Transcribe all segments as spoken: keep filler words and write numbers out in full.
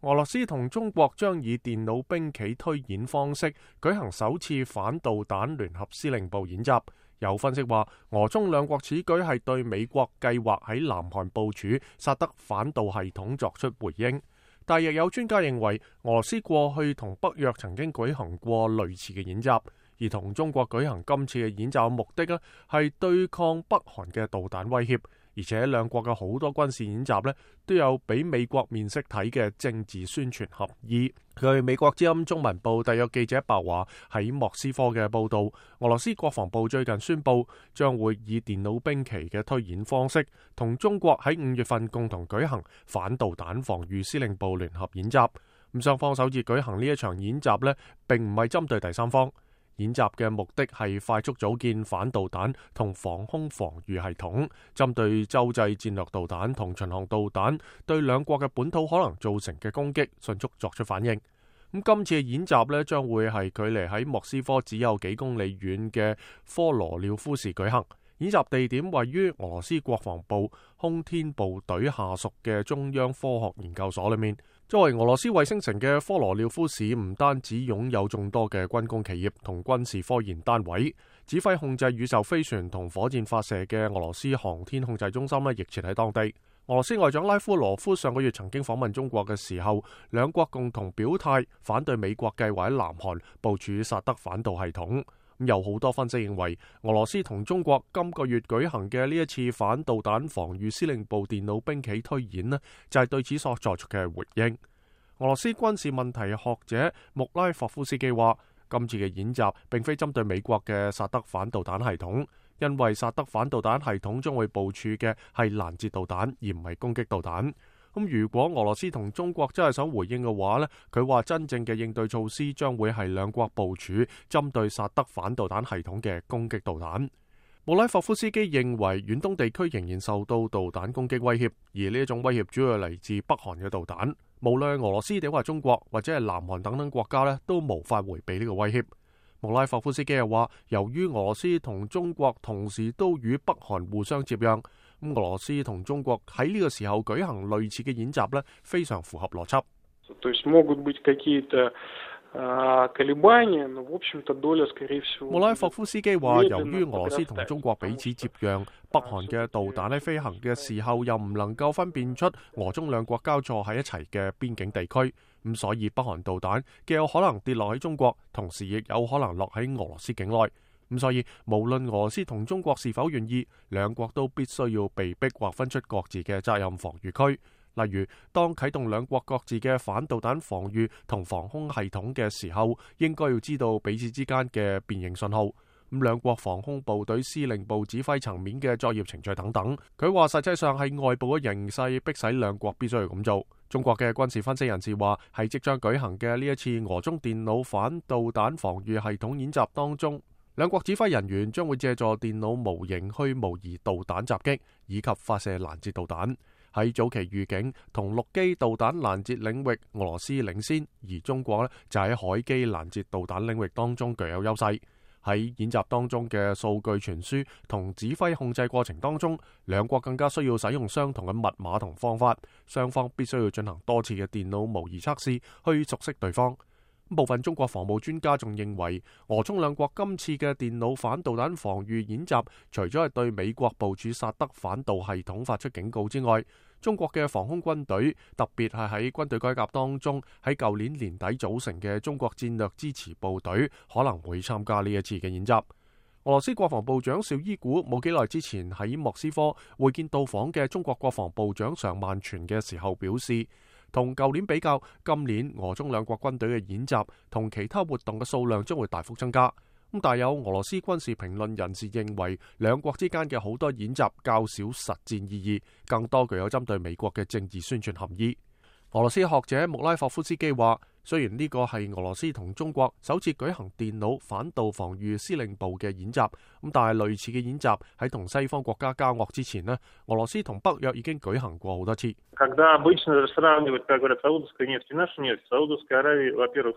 俄羅斯同中國將以電腦兵棋推演方式舉行首次反導彈聯合司令部演習。有分析話，俄中兩國此舉係對美國計劃喺南韓部署薩德反導系統作出回應。但亦有專家認為，俄羅斯過去同北約曾經舉行過類似嘅演習，而同中國舉行今次嘅演習嘅目的呢，係對抗北韓嘅導彈威脅。而且兩國嘅好多軍事演習呢，都有俾美國面色睇嘅政治宣傳合意。據美國之音中文部特約記者白華喺莫斯科嘅報導，俄羅斯國防部最近宣布將會以電腦兵棋嘅推演方式，同中國喺五月份共同舉行反導彈防禦司令部聯合演習。咁雙方首次舉行呢一場演習呢，並唔係針對第三方。演習嘅目的係快速組建反導彈同防空防禦系統，針對洲際戰略導彈同巡航導彈對兩國嘅本土可能造成嘅攻擊迅速作出反應。咁今次嘅演習呢，將會係距離喺莫斯科只有幾公里遠嘅科羅廖夫市舉行。演習地點位於俄羅斯國防部空天部隊下屬嘅中央科學研究所裏面。作為俄羅斯衛星城嘅科羅廖夫市，唔單止擁有眾多嘅軍工企業同軍事科研單位，指揮控制宇宙飛船同火箭發射嘅俄羅斯航天控制中心呢，亦設喺當地。俄羅斯外長拉夫羅夫上個月曾經訪問中國嘅時候，兩國共同表態反對美國計劃喺南韓部署薩德反導系統。有好多分析認為，俄羅斯同中國今個月舉行嘅呢一次反導彈防禦司令部電腦兵棋推演呢，就係對此所作出嘅回應。俄羅斯軍事問題學者穆拉霍夫斯基話，今次嘅演習並非針對美國嘅薩德反導彈系統，因為薩德反導彈系統將會部署嘅係攔截導彈，而唔係攻擊導彈。咁如果俄羅斯同中國真係想回應嘅話呢，佢話真正嘅應對措施將會係兩國部署針對薩德反導彈系統嘅攻擊導彈。穆拉霍夫斯基認為遠東地區仍然受到導彈攻擊威脅，而呢一種威脅主要嚟自北韓嘅導彈。無論俄羅斯定話中國或者係南韓等等國家呢，都無法迴避呢個威脅。穆拉霍夫斯基又話，由於俄羅斯同中國同時都與北韓互相接壤，咁俄羅斯同中國喺呢個時候舉行類似嘅演習呢，非常符合邏輯。穆拉霍夫斯基話，由於俄羅斯同中國彼此接壤，北韓嘅導彈喺飛行嘅時候又唔能夠分辨出俄中兩國交錯喺一齊嘅邊境地區，咁所以北韓導彈既有可能跌落喺中國，同時亦有可能落喺俄羅斯境內。咁所以無論俄羅斯同中國是否願意，兩國都必須要被逼劃分出各自嘅責任防禦區。例如，當啟動兩國各自嘅反導彈防禦同防空系統嘅時候，應該要知道彼此之間嘅辨認信號。咁兩國防空部隊司令部指揮層面嘅作業程序等等。佢話實際上係外部嘅形勢迫使兩國必須要咁做。中國嘅軍事分析人士話，喺即將舉行嘅呢一次俄中電腦反導彈防禦系統演習當中，兩國指揮人員將會借助電腦模型去模擬導彈襲擊以及發射攔截導彈。喺早期預警同陸基導彈攔截領域，俄羅斯領先，而中國呢就喺海基攔截導彈領域當中具有優勢。喺演習當中嘅數據傳輸同指揮控制過程當中，兩國更加需要使用相同嘅密碼同方法，雙方必須要進行多次嘅電腦模擬測試去熟悉對方。部分中國防務專家仲認為，俄中兩國今次嘅電腦反導彈防禦演習，除咗係對美國部署薩德反導系統發出警告之外，中國嘅防空軍隊，特別係喺軍隊改革當中喺舊年年底組成嘅中國戰略支持部隊，可能會參加呢一次嘅演習。俄羅斯國防部長紹伊古冇幾耐之前喺莫斯科會見到訪嘅中國國防部長常萬全嘅時候表示，同舊年比較，今年俄中兩國軍隊嘅演習同其他活動嘅數量將會大幅增加。咁但有俄羅斯軍事評論人士認為，兩國之間嘅好多演習較少實戰意義，更多具有針對美國嘅政治宣傳含義。俄羅斯學者穆拉霍夫斯基話，雖然呢個係俄羅斯同中國首次舉行電腦反導防禦司令部嘅演習，咁但係類似嘅演習喺同西方國家交惡之前呢，俄羅斯同北約已經舉行過好多次。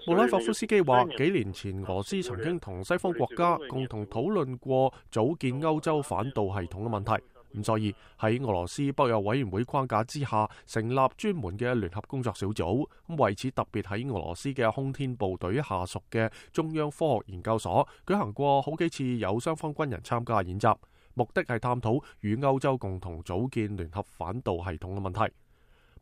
穆拉霍夫斯基話，幾年前俄羅斯曾經同西方國家共同討論過組建歐洲反導系統嘅問題。咁所以喺俄羅斯北約委員會框架之下，成立專門嘅聯合工作小組。咁為此特別喺俄羅斯嘅空天部隊下屬嘅中央科學研究所舉行過好幾次有雙方軍人參加演習，目的係探討與歐洲共同組建聯合反導系統嘅問題。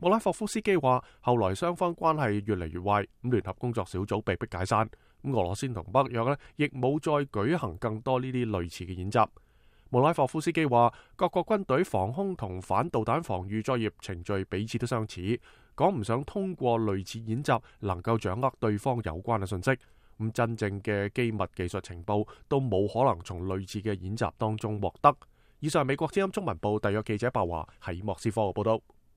莫拉霍夫斯基話，後來雙方關係越嚟越壞，咁聯合工作小組被迫解散。咁俄羅斯同北約呢亦冇再舉行更多呢啲類似嘅演習。莫拉霍夫斯基話，各國軍隊防空同反導彈防禦作業程序彼此都相似，講唔上通過類似演習能夠掌握對方有關嘅信息。咁真正嘅機密技術情報都冇可能從類似嘅演習當中獲得。以上係美國之音中文部特約記者白華喺莫斯科嘅報道。